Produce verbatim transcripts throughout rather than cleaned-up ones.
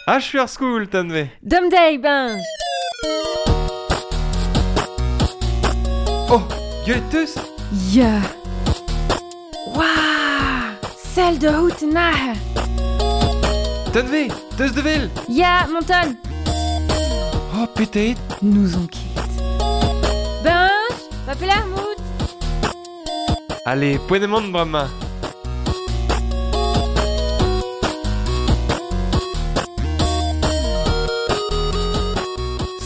Achu ar skol, Tanve. Dom deiz, Benj. Oh, gwelet teus? Ya. Waouh! Sell de hout nahe. Tanve, teus de vel? Ya, monton. Oh, petet. Nous on ket. Benj, va pelar mout. Allez, poent emaon bremañ.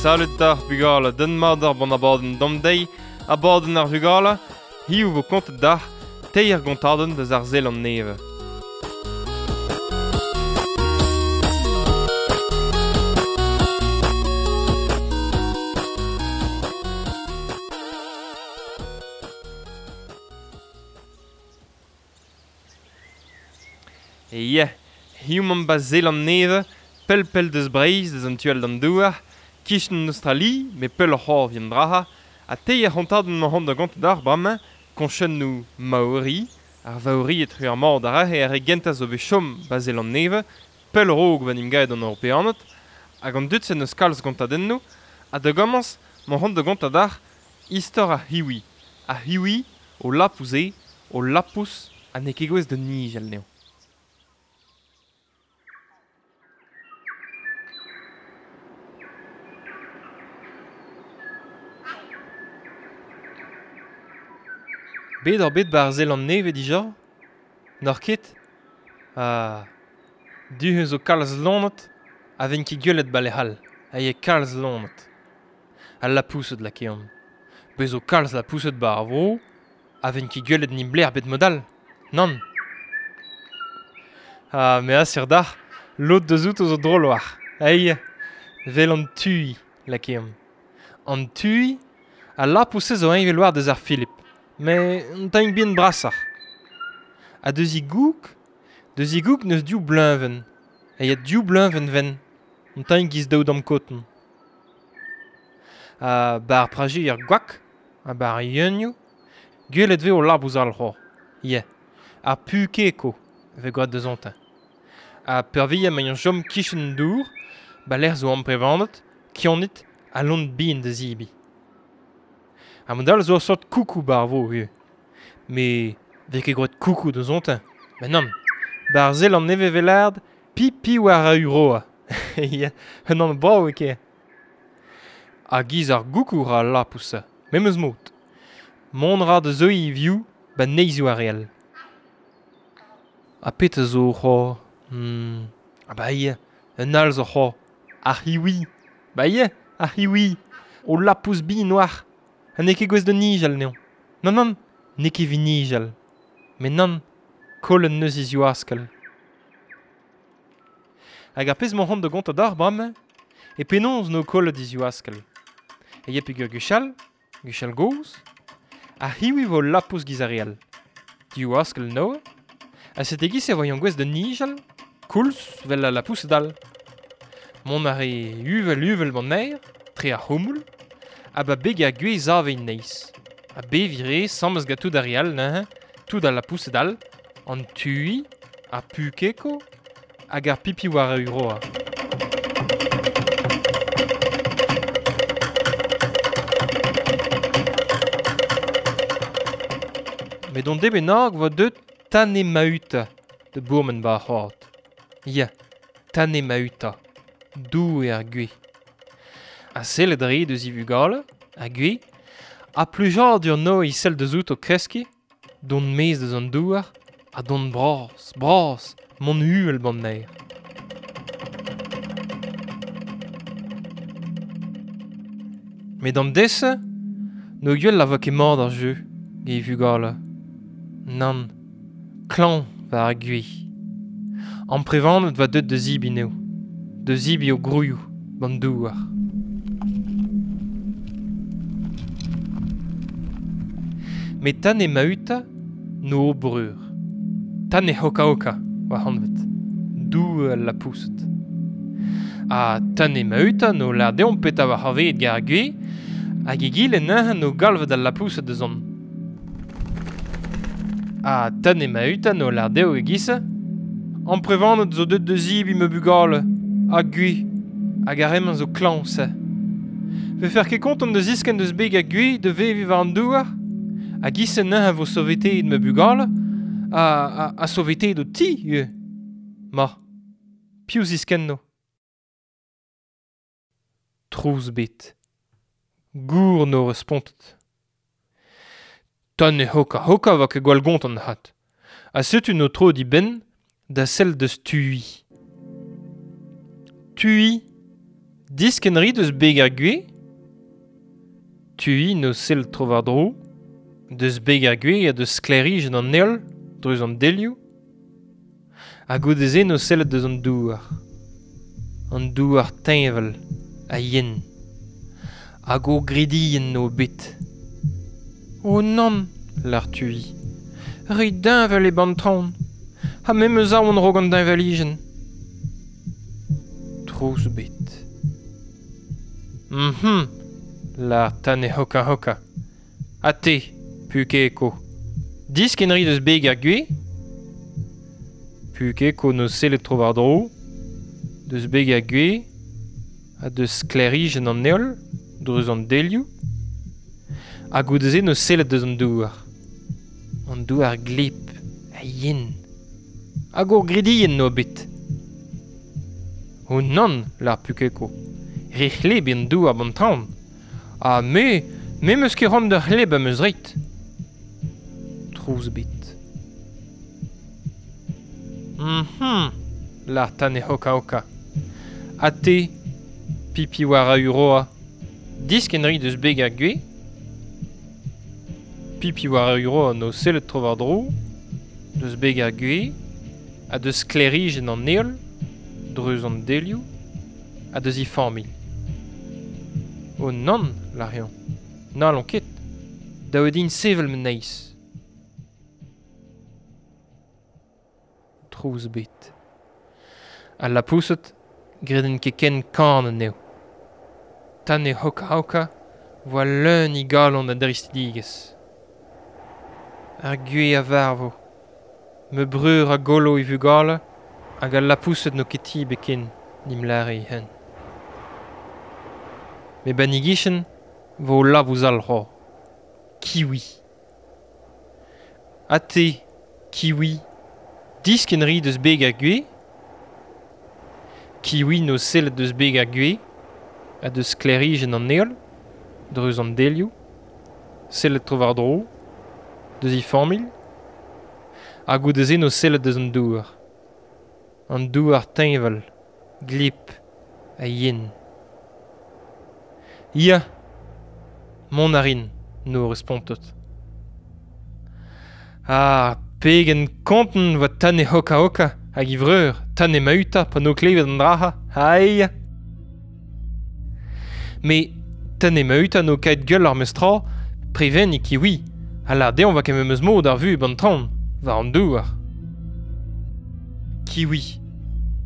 Salut d'ar bugale, den mat ar bon abadenn dom deiz, abadenn ar vugale, hiziv vo kontet d'ar teir gontadenn deus ar Zeland Nevez. E yeah, hiziv emaomp ba Zeland Nevez, pell pell deus Breizh, deus an tu all d'an douar, kichen Australie, me pell oc'h vien draha, ha teir c'hontadenn ma da gont d'ar bremañ, koñchennoù Maori, ar Vaori etre ar mor d'ar ahe ar re gentañ zo bet chom ba Zeland Nevez, pell raok va nimgaet an Europeaned, hag an dud-se n'eus kalz gontadennoù, ha da gomañs ma c'hont da gontañ d'ar istor ar hiwi. Ar hiwi, o lapous eo, o lapous, ha n'eo ket gouest da nijal anezho. Bet oc'h bet ba ar Zeland Nevez dija? N'oc'h ket? Ah, du zo kalz loened a ven ket gwelet ba lec'h all, a eo kalz loened. Al lapoused lakeomp. Bez zo kalz lapoused ba ar vro, a ven ket gwelet nimbler bet mod all. Nann. Ah, me asur dac'h, lod deus outo zo drol war. Ei, vel an tui lakeomp. An tui, al lapoused zo eñvel war deus ar Philippe. Mais un tamm bihan brasoc'h. Ha deus he goug, deus he goug n'eus div bleuñvenn. Ha ya div bleuñvenn ven, un tamm giz daou damm koton. Ha ba ar praje ar gwak, ha ba ar yeunioù, gwelet vez o labous all c'hoazh. Ya, ar pukeko vez gwraet deus ontañ. Ha peurvuiañ emañ chom kichen dour, ba lec'h zo amprevanet, kionit ha lon bihan da zebriñ. Ha mod all zo ur sort koukou ba ar vro ivez. Mais vez ket gwraet koukou deus ontañ. Ben nann, ba ar Zeland Nevez vez lâret pipi war a uroa. Ya, un anv brav eo ket. Ha giz ar goukou ra al lapous-se, memes mod. Mont ra da zeuiñ e vioù ba neizhioù ar re all. Ha petra zo c'hoazh? Hmm, ah ba ya, un all zo c'hoazh. Ar c'hiwi. Ba ya, ar c'hiwi. O lapous bihan oar. Ha n'eo ket gouest da nijal anezhañ. Nann, nann, n'eo ket evit nijal. Met nann, kollet neus e ziwaskell. Hag ar pezh emañ c'hoant da gontañ d'ar bremañ, e penaos n'eo kollet e ziwaskell. E ya peogwir gwechall, gwechall gozh, ar c'hiwi vo lapous giz ar re all. Diwaskell noa, ha sete giz e voion gouest da nijal, koulz vel al lapoused all. Mont a re uvel uvel b'an aer, tre ar c'houmoul, ha ba beg ar gwez ave neizh. Ha beviñ re sammez gant tout ar re all neuze, tout al lapoused all, an tui, ar pukeko, hag ar pipi war a uroa. Met on deiz bennak vo deut Tane Mahuta da bourmen ba ar c'hoad. Ya, Tane Mahuta, doue ar gwez. Ha sellet re deus e vugale, ar gwez, ha plijadur no e sell deus out o kreskiñ, dont maez deus an douar, ha dont bras, bras, mont uhel b'an aer. Met an deiz-se, n'o gwell a vo ket mat ar jeu, gant e vugale. Nann, klañv war ar gwez. Amprevanet va deut da zebriñ anezho, da zebriñ o gwrioù b'an douar. Met Tane Mahuta no o breur. Tane Hoka-Hoka oa anvet, doue al lapoused. Ha Tane Mahuta no lâr deomp petra war c'hoarvezet gant ar gwez, hag egile neuze no galvet al lapoused da zont. Ha Tane Mahuta no lâr dezho e-giz-se, amprevanet zo deut da zebriñ ma bugale, Ha gwez, hag ar re-mañ zo klañv se. Vefer ket kontant da ziskenn deus beg ar gwez da veviñ war an douar? Hag ise neuze vo soveteet ma bugale ha, ha, ha soveteet ho ti ivez. Ma, piv ziskenno? Trouz bet. Gour no respontet. Tane hoka hoka va ket gwall gontant hat. Ha setu no tro di benn da sell deus Tui. Tui, diskenn ri deus beg ar gwez? Tui no sell tro war-dro, deus beg ar gwez ha deus sklêrijenn an heol, dreuz an delioù. Ha goude-se no sellet deus an douar. An douar teñval ha yen. Hag o gridienn no bet. O nann, lâr Tui. Re deñval eo b'an traoñ. Ha me 'm eus aon 'raok an deñvalijenn. Trouz bet. Mhm, lâr Tane hoka hoka. Ha te, Pukeko. Diskenn ri deus beg ar gwez? Pukeko no sellet tro war-dro, deus beg ar gwez, ha deus sklêrijenn an heol, dreuz an delioù. Ha goude-se no sellet deus an douar. An douar gleb, ha yen. Hag ur gridienn no bet. O nann, lâr Pukeko. Re c'hleb eo an douar b'an traoñ. Ha me, me 'm eus ket c'hoant da c'hleb am eus ret. Trouz bet. Mhm, lâr Tane hoka hoka. Ha te, Pipi war a uroa. Diskenn ri deus beg ar gwez? Pipi war a uroa no sellet tro war-dro, deus beg ar gwez, ha deus sklêrijenn an heol, dreuz an delioù, ha deus he familh. O nann, lâr-eñ. N'hallon ket. Dav eo din sevel ma neizh. Trouz bet. Al lapoused 'gredent ket ken kan anezho. Tane hoka hoka voa leun he galon a dristidigezh. Ar gwez a varvo. Ma breur a gollo e vugale hag al lapoused n'o ket ti ebet ken, n'im lâre hen. Met 'ba 'n e gichen vo labous all c'hoazh. Kiwi. Ha te, Kiwi, diskenn ri deus beg ar gwez? Kiwi no sellet deus beg ar gwez, ha deus sklêrijenn an heol, dreuz an delioù, sellet tro war-dro, deus he familh, ha goude-se no sellet deus an douar. An douar teñval, gleb ha yen. Ya, mont a rin, no respontet. Ah, pegen kontant 'voa Tane hoka hoka hag e vreur, Tane Mahuta pa no klevet an dra-ha, aïe! Met Tane Mahuta no kaet gwell ar meus tra, prevenniñ Kiwi, ha lâr dezhañ 'oa ket memes mod ar vuhez b'an traoñ, war an douar. Kiwi,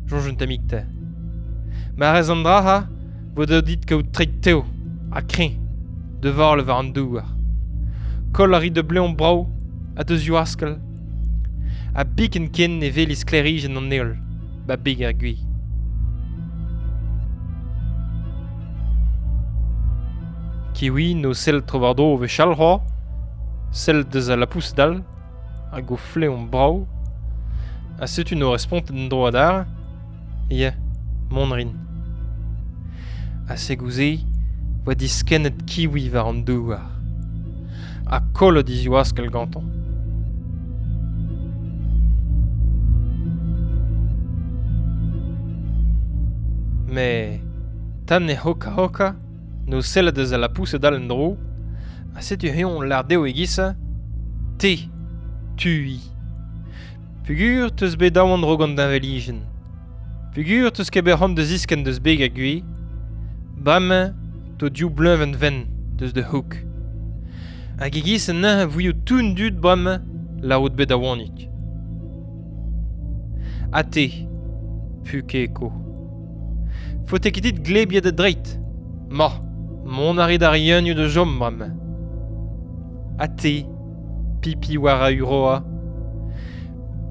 soñj un tammig 'ta. Ma rez an dra-ha, vo dav dit kaout treid tev ha kreñv, da vale war an douar. Koll a ri da bleñv brav ha da zivaskell. Ha biken ken ne weli sklêrijenn an heol, 'ba beg ar gwez. Kiwi no sell tro war-dro wechall c'hoazh, sell deus al lapoused all, hag o flev brav. Ha setu no respontet en-dro adarre. Ya, mont 'rin. Ha se 'oa diskennet Kiwi war an douar. Ha kollet e zivaskell gantañ. Met Tane hoka hoka no sellet deus al lapoused all en-dro, ha setu eñ lâr dezho e-giz-se, te, Tui. Peogwir 'teus bet aon 'raok an deñvalijenn. Peogwir 'teus ket bet c'hoant da ziskenn deus beg ar gwez, bremañ 'to div bleuñvenn wenn deus da c'hoûg. Hag e-giz neuze 'vouio tout an dud bremañ lârout bet aonik. Ha te, Pukeko. Faote ket dit glebiañ da dreid. Ma, mont a ri d'ar yeunioù da chom bremañ. Ha te, Pipi war a uroa.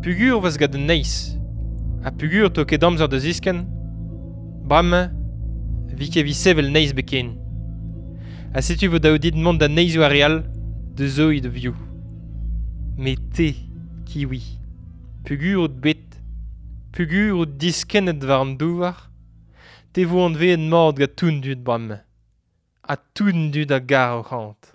Peogwir 'vez gant an neizh. Ha peogwir 'to ket amzer da ziskenn. Bremañ, vi ket vi sevel neizh beken. Ha setu vo daou dit mont da neizhoù ar re all, da zoiñ da vioù. Met te, kiwi, peogwir out bet, peogwir out diskennet war an douar, te vo anveet mat gant tout an dud bremañ. Ha tout an dud a gar ac'hanout.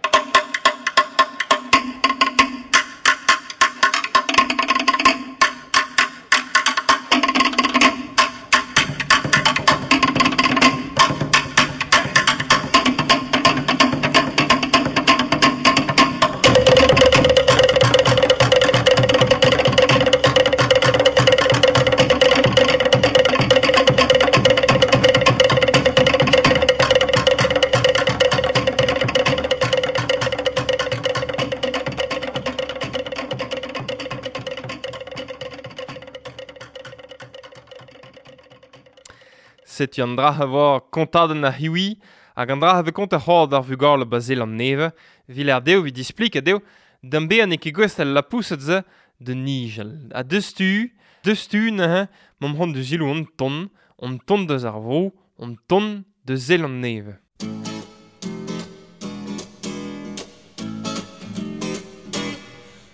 Setu an dra a vo kontadenn ar c'hiwi hag an dra a vez kont ar c'hord ar vugale ba Zeland-Nevez, vil ar dezho evit displik a dezho d'an bezañ n'eo ket gouest al lapoused se de nijel. Ha deus tu, deus tu neuze, m'am c'hoant da selaou an ton, an ton deus ar vro, an ton de Zeland-Nevez.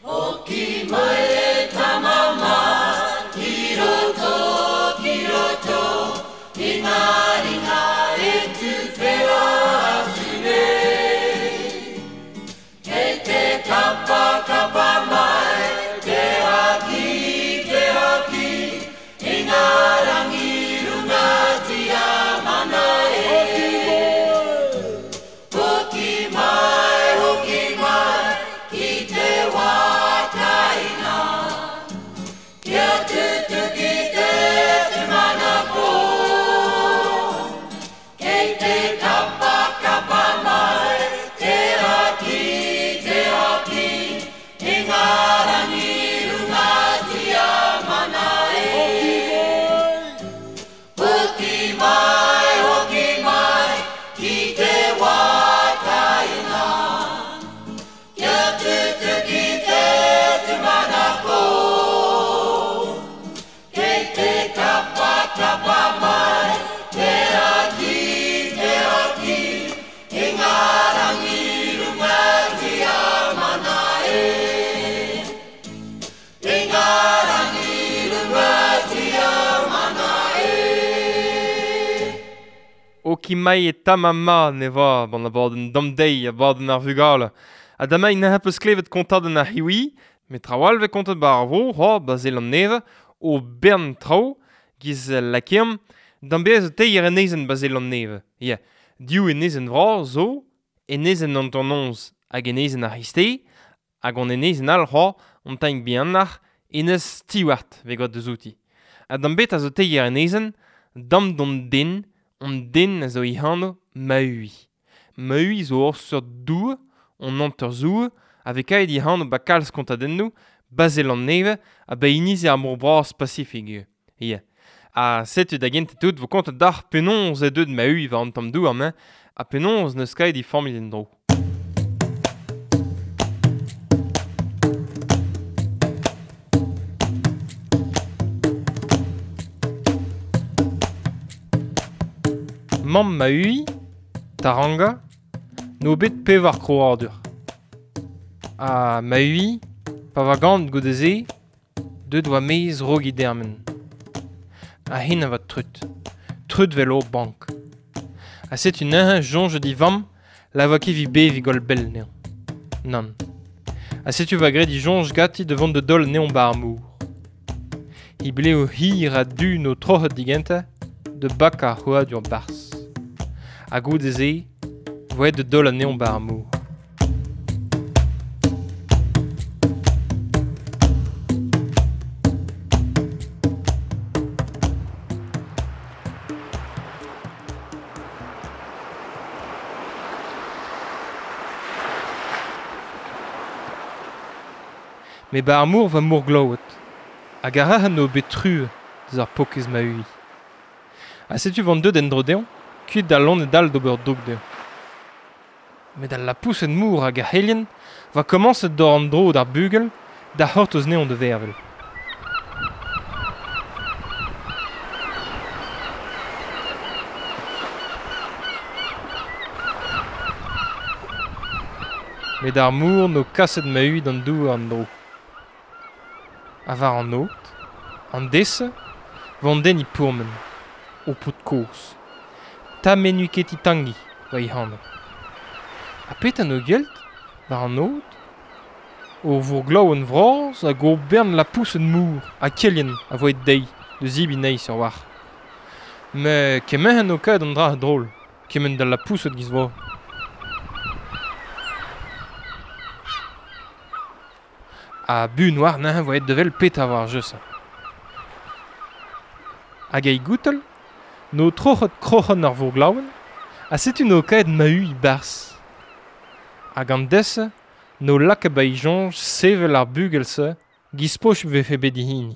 Hoki mai e tamama, ki roto, ki roto, i ngā ringa e tūwhera atu nei. Kei te kapa kapa mai, te haki, te haki, i ngā rangi runga tia mana e. Hoki mai, hoki mai, ki te wākaina. Kia tutuki te tūmanako. Kei te kapa kapa mai, te haki, te haki, i ngā rangi runga tia mana e. Hoki mai, hoki mai, ki te wākaina. Kia tutuki te tūmanako. Kei te kapa kapa mai, te haki, te haki, i ngā rangi runga tia mana e. I ngā rangi runga tia mana e. Hoki mai e tamama ne va ban abadenn damdeiz abadenn ar vugale. Ha damai n'ha peus klevet kontadenn ar c'hiwi, met trawal vez kontet ba ar vro, ho, ba Zeland-Nevez, o bern traoù, giz lakeomp, d'an bez zo teir enezenn ba Zeland-Nevez. Ya, div enezenn vras zo, enezenn an Tornoz hag enezenn ar C'hreisteiz, hag an enezenn all c'hoazh, an tamm bihanoc'h, enez Stewart vez graet deus outi. Ha d'an bet a zo teir enezenn, dam d'an den, an den a zo e anv Maui. Maui zo ur seurt doue, an hanter-zoue, a vez kaet e anv ba kalz kontadennoù, ba Zeland-Nevez ha ba inizi ar mor bras Pasifik ivez. Ya. Ha setu da gentañ tout vo kontet deoc'h penaos eo deuet Maui war an tamm douar-mañ, ha penaos n'eus kaet e familh en-dro. Mamm Maui, Taranga, n'o bet pevar krouadur. Ha Maui, pa va gant goude-se, deuet oa maez rog e dermen. Ha hen a va treut, treut vel ur bank. Ha setu neuze soñj di vamm, la voa ket vi bev e goll bell anezhañ. Nann. Ha setu va graet di soñj ganti da vont da daol anezhañ ba ar mor. He blev hir ha du n'o troc'het digentañ, da bakañ ar c'hrouadur barzh. Ha goude-se, voe da daol anezhañ ba ar mor. Met ba ar mor va mor glaouet. Hag ar rac'h n'o bet truez deus ar pokez Maui. Ha setu vant deuet en-dro dezhañ, kuit da loened all d'ober droug dezhañ. Met al lapoused mor hag ar c'helien va komañset d'ober an dro d'ar bugel da c'hortoz anezhañ da vervel. Met ar mour no kaset ma-ui d'an douar an dro. A war an aot, an dese, vant den i pourmen, o pout koz. Ta menu ket i tangi, va i hano. A pet an o gelt, war an aot, o vourglaou an vraz hag o bern la pousen mour, a kelien a voet dei, de zibi nei sur war. Me kement an o kaet an dra drôle, kement da la pouset giz vo. A bu noir nain voet devel pet a war jeu sa. Hag ei goutel, no troc'hot kroc'hon ar vourglaouen, a setu no kaet ma-u i bars. Hag an dese, no lak ba i jonj sevel ar bugel-se, giz poch vefe bet i hini.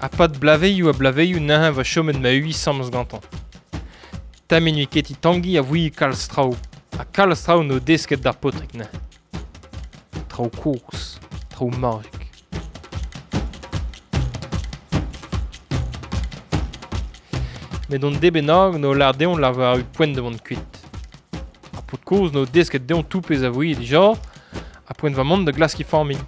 A pad blaveioù a blaveioù nain va chomet ma-ui samz gantañ. Ta menui ket i tangi a voui kalz traoù, a kalz traoù no desket d'ar potrik nain. Traoù koz, traoù magic. Met on debenag no lar deon la war u poent de vont kuit. Ar pot koz no desket deon tout pez a voui dija, a poent va mont de glaski familh.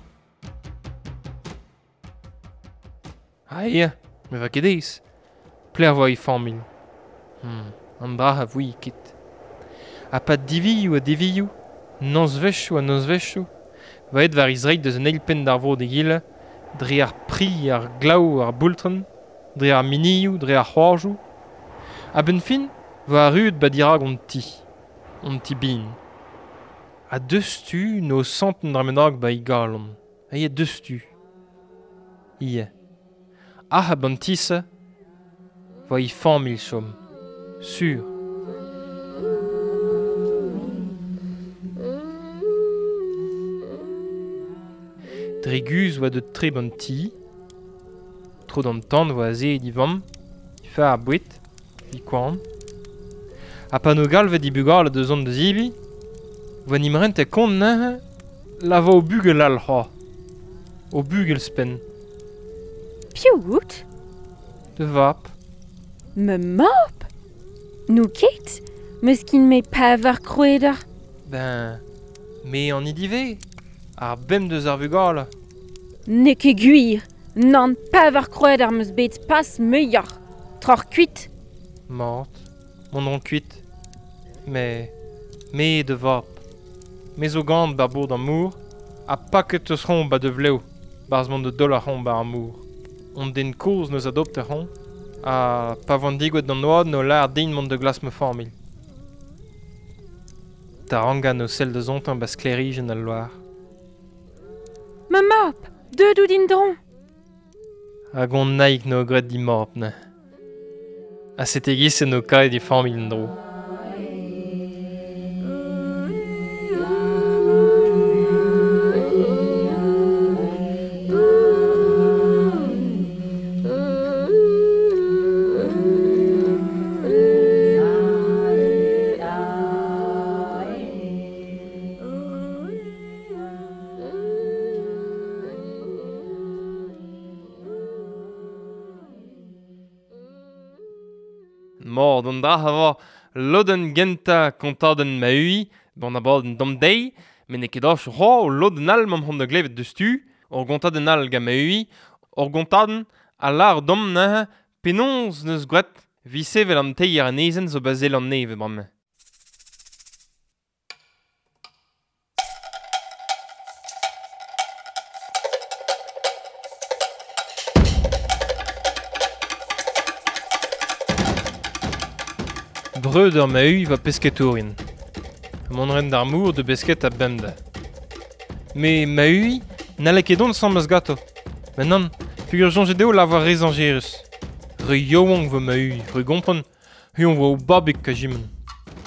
Ah ia, me va ket eiz. Pler voa i familh. Hmm, an dra a voui ket. A pa divioù a divioù, nozvezhioù a nozvezhioù, va et war izreit deus an eil penn d'ar vo de gile, dre ar pri, ar glaou, ar boultren, dre ar minioù, dre ar c'hoarjoù. A benn fin, va arruet ba dirag on ti, on ti bin. A deus tu no santen dramenag ba i galon. A ia deus tu. Ie. Ah a bantisse, va i familh chom. Sur. Dre guz oa de tre ban ti, tro d'an tan oa aze di vamm, i fa ar bouet, i koan. A pa no galvet di bugal de zon de zibi, oa nimrent e kont neuze, la va o bugel al c'hoa. O bugel spen. Piv out? De vap. Me map? Nou ket? Meus kin me pavar kroueder. Ben, me an idive. Ar bem deus ar vugale. N'eo ket gwir. Nann pavar kroueder meus bet pas muioc'h. Troc'h kuit. Mort. Mon on kuit. Me, me de vap. Me zo gant bar bourd an mour, a paket eus ron ba de vleo, barz mont de dol ar ron ba ar mour. On den koz neus adopte ron, a pa van digouet d'an oad no lar din mont de glas me familh. Taranga no sel de zontan ba sklerijen al loar. Ma map, deud out din dron. Hag on naik no gret di map ne. A setegis no kae di familh en dro. Mord an dra a vo lodenn genta kontadenn ma-ui, bon abadenn dam deiz, met n'eo ket ach c'hoa o lodenn all m'am c'hont da glevet deus tu, ur gontadenn all gant ma-ui, ur gontadenn a lar dom neuze penaos neus gwraet vi sevel an teir anezen zo bazel an neve bremañ. Breud ur ma-ui va pesketourien. Mont ren d'ar mour de besket a bemde. Me ma-ui n'halle ket dont sammes gato. Met nann, pugur soñjet eo lavar re zañjerus. Re yaouank vo ma-ui, re gompren, huon vo o babig ka jimen.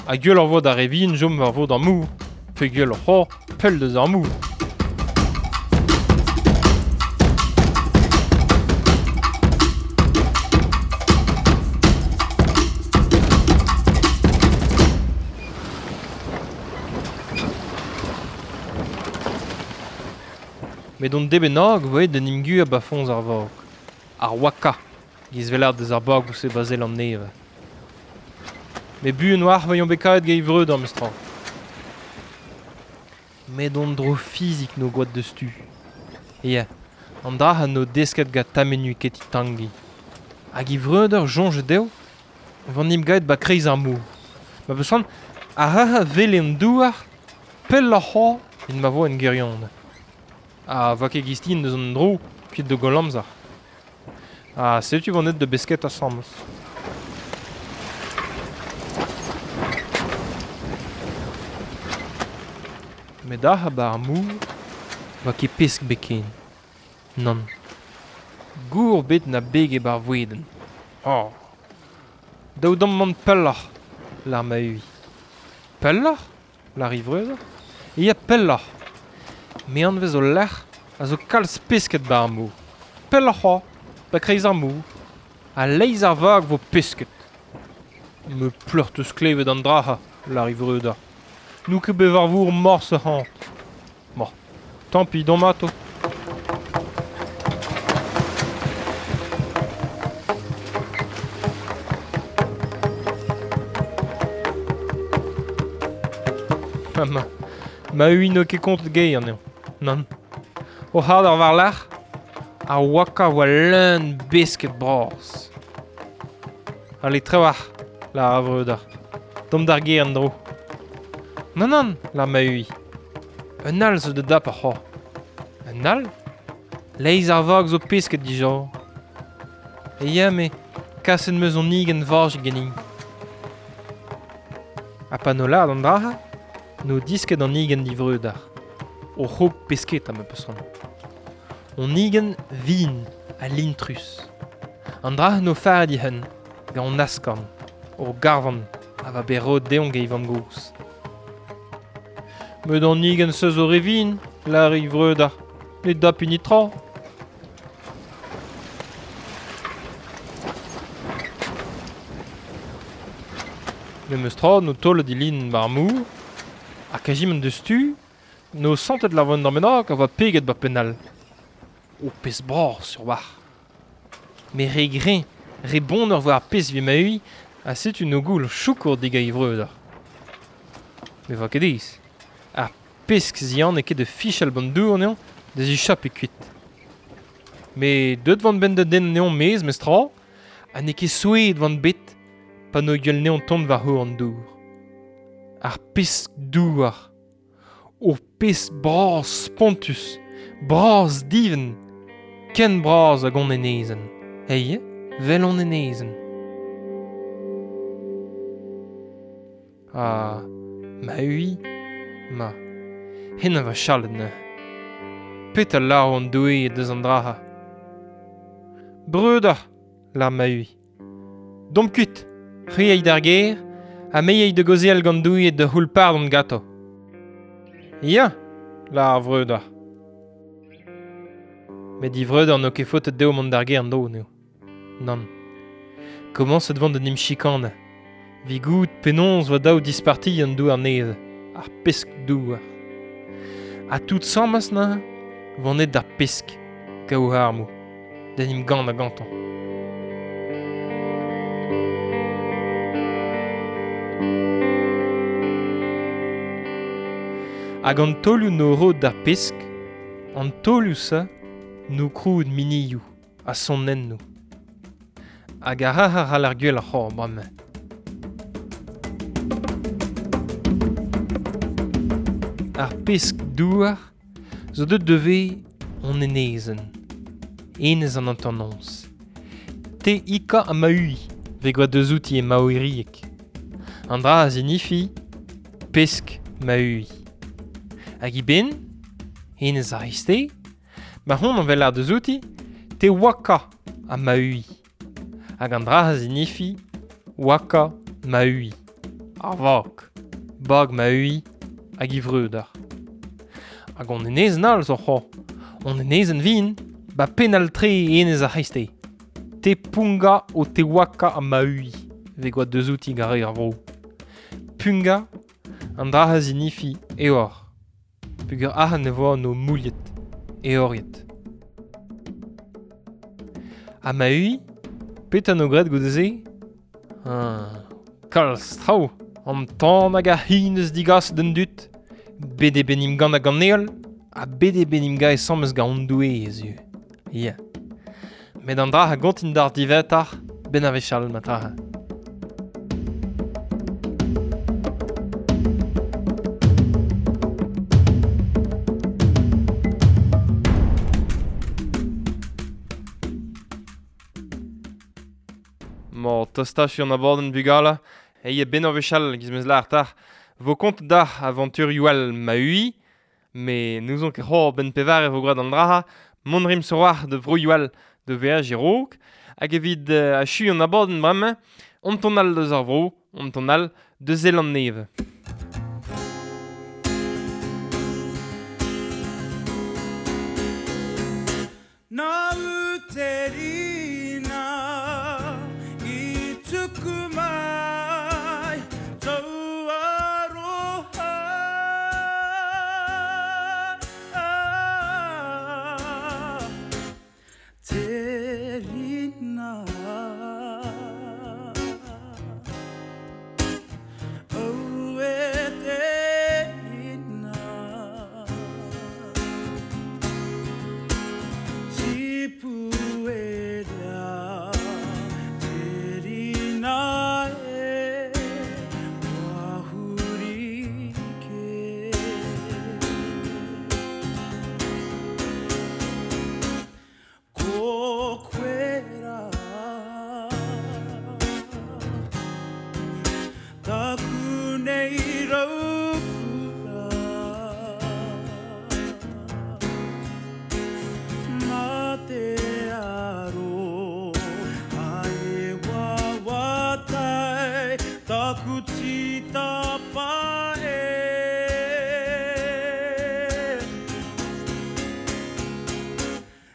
Ha gwell ur vo d'ar re vihan jom war vo d'ar mour, pe gwell ur c'hoar pell deus ar mour. Met on debenag voet d'an imgu a ba foñs ar vag. Ar waka, giz velar deus ar bag ouzh e bazel an neve. Me buan war vailhon bekaet gei vreud ar mestra. Met on dro fizik no gwad deus tu. Ya, an dra ha no desket gant tamenu keti tangi. Hag i vreudeur jonge deo, van im gaet ba kreiz ar mor. Ma besan, ar ha vele an douar, pell ar c'ho, in ma vo en gerion. A va ket gistin deus an dro, kuit de goll amzer. Ha setu van et de besket asambles. Met ar ha ba ar mor, va ket pesk beken. Nann. Gour bet na beg e bar voueden. Oh. Daou damm mont pelloc'h, lar ma ui. Pelloc'h, lar ivreuz. E ya pelloc'h. Me anvez o lec'h a zo kalz pesket bar ar mor. Pelloc'h oa, ba kreiz ar mor. Ha leiz ar vag vo pesket. Me pleurt eus klevet an draha, lar ivreudar. Nou ket bevar vour morse c'hant. Bon, tant pis don mato. Ma, ma ui no ket kont gei an eo. Nann. O c'hard ar war lac'h, ar waka oa leun besket bras. Ale trewac'h, la ar vreudar. Dom d'ar ger an dro. Nann nann, la ma ui. Un all zo de dap ar c'ho. Un all? Leiz ar vag zo pesket dija. E ya me, kaset meus on igen varj ganin. Ha pa no lad an draha, no disket an igen divreudar. O c'hog pesket a ma peus an. On igen vin a lintrus. An draha no far di hen, gant an askorn, o garvan, a va berod deon gei vam goz. Met an igen seus o revin, lar ivreudar, ne dap unitra. Me meus tra no tole di lin bar mou, ha kajiment deus tu, no santet la voan d'ar menag a va peget ba penal. O pez bras sur war. Me re grin, re bon ur war pez vi ma ui, ha setu no goul choukour diga ivreudar. Me va ket ez. Ar pesk zian e ket de fichal ban dour neon, da zi chap e kuit. Me deut van ben de den neon mez mes tra, ha ne ket souet van bet, pa no gueul neon tont war ho an dour. Ar pesk douar. O pesk bras spontus, bras diven, ken bras hag on enezen. Hey, vel on enezen. Ah, ma ui, ma, hen a va chalet neuze. Pet a laro an doue deus an draha. Breudar, lar ma ui. Dom kuit, c'hui eid ar ger, ha me eid de gozel gant doue de c'houl pardon gato. Ya, lar ar vreudar. Met di vreudar n'o ket faotet dezho mont d'ar ger an do, neo. Nann. Komañset vant da nim chikane. Vi gout penaos va daou disparti an douar neve. Ar pesk douar. Ha tout sammas na, van et d'ar pesk, gaou armou, da nim gant a gantañ. Hag an tolioù no rod d'ar pesk, an tolioù sa no kroud minioù a sonennoù. Hag ar ar ar ar gwell ar c'hor bremañ. Ar pesk douar zo deut devez on enezen. Enez an antonons. Te ika a maui, ve gwa deus outi e maoiriek. An dra a zinifi, pesk maui. Hag i ben, enez ar iste, ma hon an vel ar deus outi, te waka a maui. Hag an dra a zinifi, waka maui. Ar vag, bag maui, hag i vreudar. Hag on enezen all zo c'ho. On enezen vin, ba penal tre enez ar c'heiste. Te punga o te waka a maui, ve gwa deus outi gare ar vro. Punga, an dra a zinifi eor. Pugur ahan ne voa no mouliet, eoriet. Ha ma-ui, petra no graet goude-se? Ah, kalz traoù, an tan hag ar hin eus digas d'an dud, bet eo bet gant hag an heol, ha bet eo bet gant esamez gant an doue ez eo. Ya. Met an dra a gontin d'ar divetar, ben a wechall ma tra. Mor tostach an abadenn bugale, e ben ur wechall giz meus lâr tar. Vo kont d'ar aventurioù all ma-ui, me n'ouzon ket c'hor ben pevar e vo graet an draha, mont rim sur de vroioù all de veaj e-raok, hag evit uh, achu an abadenn bremañ, on ton all deus ar vro, on ton all de Zeland-Nevez. Na uterina i tuku mai tau aroha Te rina Au e te rina Tipu e rea te rina e Wahuri ke Ko koe rā Taku nei raukura Mā te aro Ai wawatai Taku titapa e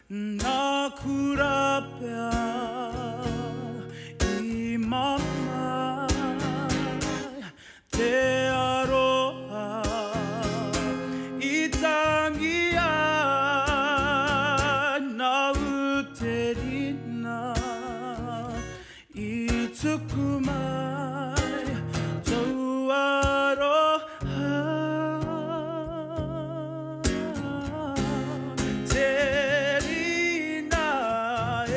Nā kura pea i mamae Te aroha i tangi ai Nā uterina i tuku mai tau aroha Te rina e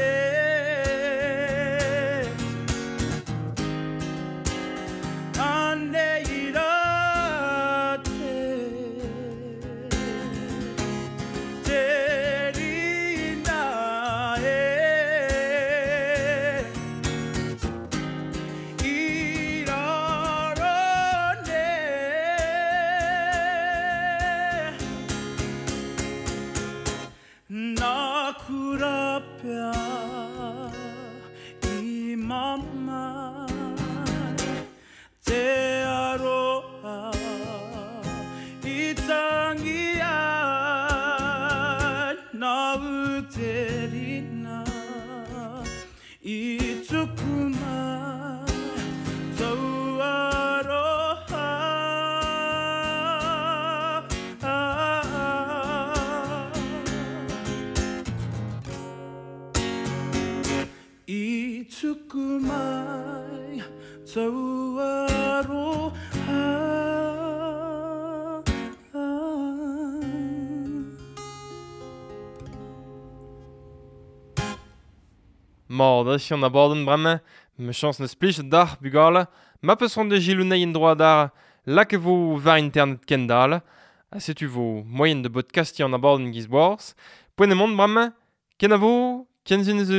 Anei rā te Te rina e I raro ne Nā kura pea i mamae Te aroha i tangi ai Nā uterina i tuku mai tau aroha I tuku mai tau aroha Mor, da an abadenn bremañ, me chañs neus plij d'ar bugale, ma peus c'hoant da gilouneiñ en droad ar lak e vo war internet kendal, ha setu vo moyen de podcastiñ an abadenn giz boaz, poent emaon bremañ, ken a vo, ken zun eus.